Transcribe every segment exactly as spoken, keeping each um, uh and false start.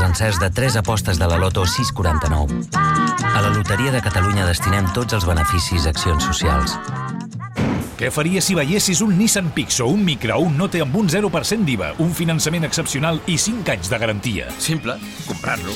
encerts de tres apostes de la Loto sis quaranta-nou. A la Loteria de Catalunya destinem tots els beneficis a accions socials. Què faries si veiessis un Nissan Pixo, un Micra o un Note amb un zero per cent d'I V A, un finançament excepcional i cinc anys de garantia? Simple, comprar-lo.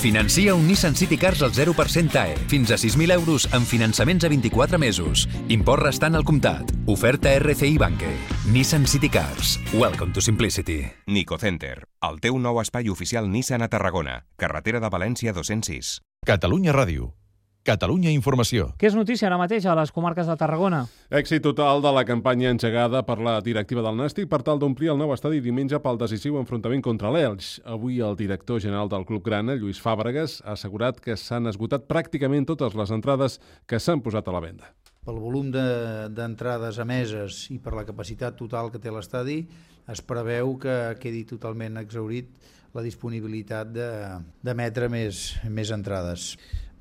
Financia un Nissan City Cars al zero per cent T A E, fins a sis mil euros amb finançaments a vint-i-quatre mesos. Import restant al comptat. Oferta R C I Banque. Nissan City Cars. Welcome to simplicity. Nicocenter, el teu nou espai oficial Nissan a Tarragona, carretera de València dos-cents sis. Catalunya Ràdio. Catalunya Informació. Què és notícia ara mateix a les comarques de Tarragona? Èxit total de la campanya engegada per la directiva del Nàstic per tal d'omplir el nou estadi diumenge pel decisiu enfrontament contra l'Elx. Avui el director general del Club Grana, Lluís Fàbregas, ha assegurat que s'han esgotat pràcticament totes les entrades que s'han posat a la venda. Pel volum d'entrades emeses i per la capacitat total que té l'estadi, es preveu que quedi totalment exhaurit la disponibilitat d'emetre més, més entrades.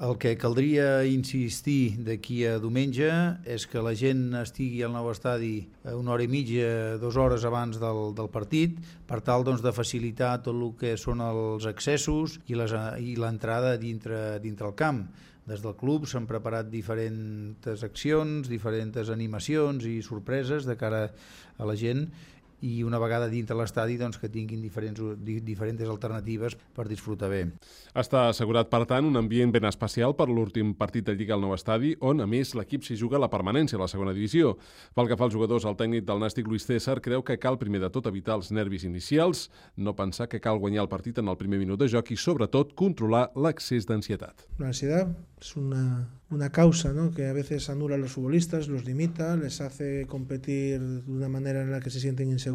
El que caldria insistir d'aquí a diumenge és que la gent estigui al nou estadi una hora i mitja, dues hores abans del, del partit, per tal doncs, de facilitar tot el que són els accessos i l'entrada dintre, dintre el camp. Des del club s'han preparat diferents accions, diferents animacions i sorpreses de cara a la gent, i una vegada dintre l'estadi doncs, que tinguin diferents, diferents alternatives per disfrutar bé. Està assegurat, per tant, un ambient ben especial per l'últim partit de Lliga al nou estadi, on, a més, l'equip s'hi juga la permanència a la segona divisió. Pel que fa als jugadors, el tècnic del Nàstic, Luis César, creu que cal primer de tot evitar els nervis inicials, no pensar que cal guanyar el partit en el primer minut de joc i, sobretot, controlar l'excés d'ansietat. La ansiedad es una, una causa, ¿no?, que a veces anula a los futbolistas, los limita, les hace competir de una manera en la que se sienten inseguros.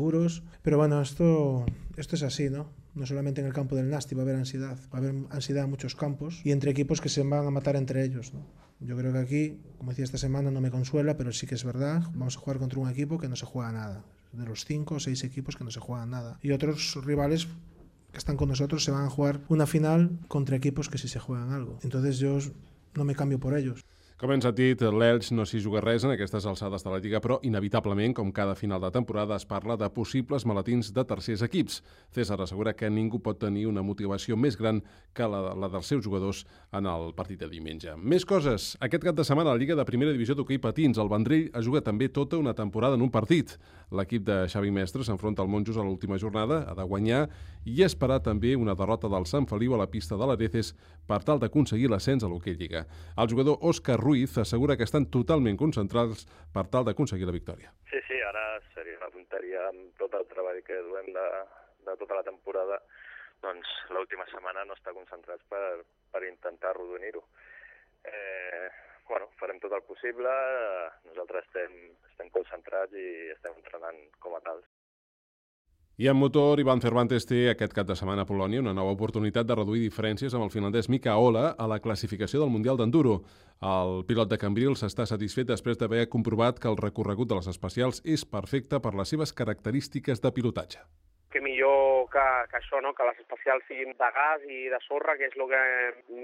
Pero bueno, esto, esto es así, ¿no? No solamente en el campo del Nàstic va a haber ansiedad, va a haber ansiedad en muchos campos y entre equipos que se van a matar entre ellos, ¿no? Yo creo que aquí, como decía esta semana, no me consuela, pero sí que es verdad, vamos a jugar contra un equipo que no se juega nada. De los cinco o seis equipos que no se juegan nada. Y otros rivales que están con nosotros se van a jugar una final contra equipos que sí se juegan algo. Entonces yo no me cambio por ellos. Com ens ha dit, l'Elx no s'hi juga res en aquestes alçades de la Lliga, però inevitablement, com cada final de temporada, es parla de possibles maletins de tercers equips. César assegura que ningú pot tenir una motivació més gran que la, la dels seus jugadors en el partit de diumenge. Més coses. Aquest cap de setmana a la Lliga de Primera Divisió d'Hoquei Patins, el Vendrell ha jugat també tota una temporada en un partit. L'equip de Xavi Mestre s'enfronta al Monjos a l'última jornada, ha de guanyar i esperar també una derrota del Sant Feliu a la pista de l'Areces per tal d'aconseguir l'ascens a l'Hoquei Lliga. El jugador Òscar Ruiz assegura que estan totalment concentrats per tal d'aconseguir la victòria. Sí, sí, ara seria una tonteria amb tot el treball que duem de, de tota la temporada, doncs l'última setmana no estar concentrats per, per intentar arrodonir-ho. Eh, bueno, farem tot el possible, nosaltres estem, estem concentrats i estem entrenant com a tals. I en motor, Ivan Cervantes té aquest cap de setmana a Polònia una nova oportunitat de reduir diferències amb el finlandès Mika Ola a la classificació del Mundial d'Enduro. El pilot de Cambrils està satisfet després d'haver comprovat que el recorregut de les especials és perfecte per les seves característiques de pilotatge. Que millor que, que això, no? Que les especials siguin de gas i de sorra, que és el que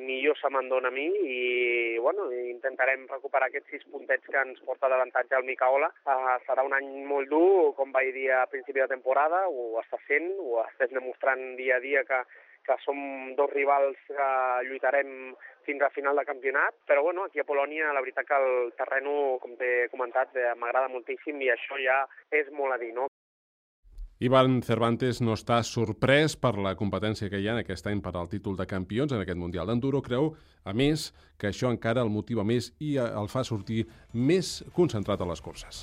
millor se me'n dona a mi, i bueno, intentarem recuperar aquests sis puntets que ens porta d'avantatge el Micaola. Uh, serà un any molt dur, com vaig dir a principi de temporada, ho està sent, ho estem demostrant dia a dia que, que som dos rivals que lluitarem fins al final de campionat, però bueno, aquí a Polònia la veritat que el terreno, com t'he comentat, m'agrada moltíssim i això ja és molt a dir, no? Ivan Cervantes no està sorprès per la competència que hi ha aquest any per al títol de campions en aquest Mundial d'Enduro. Creu, a més, que això encara el motiva més i el fa sortir més concentrat a les curses.